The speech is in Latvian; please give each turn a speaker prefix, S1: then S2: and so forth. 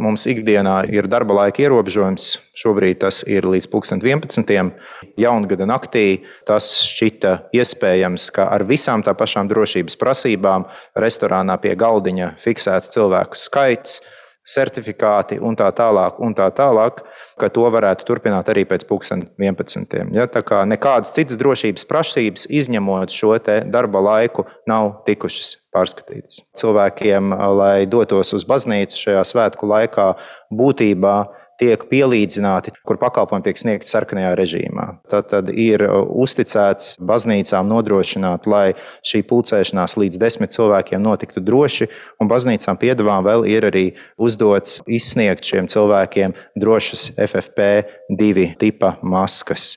S1: mums ikdienā ir darba laika ierobežojums. Šobrīd tas ir līdz 11. Jaungada naktī. Tas šķita iespējams, ka ar visām tā pašām drošības prasībām restorānā pie galdiņa fiksēts cilvēku skaits, certifikāti un tā tālāk, ka to varētu turpināt arī pēc 11. Ja, tā kā nekādas citas drošības prasības, izņemot šo te darba laiku, nav tikušas pārskatītas. Cilvēkiem, lai dotos uz baznīcu šajā svētku laikā, būtībā tiek pielīdzināti, kur pakalpojumi tiek sniegti sarkanajā režīmā. Tad ir uzticēts baznīcām nodrošināt, lai šī pulcēšanās līdz 10 cilvēkiem notiktu droši, un baznīcām piedevām vēl ir arī uzdots izsniegt šiem cilvēkiem drošas FFP2 tipa maskas.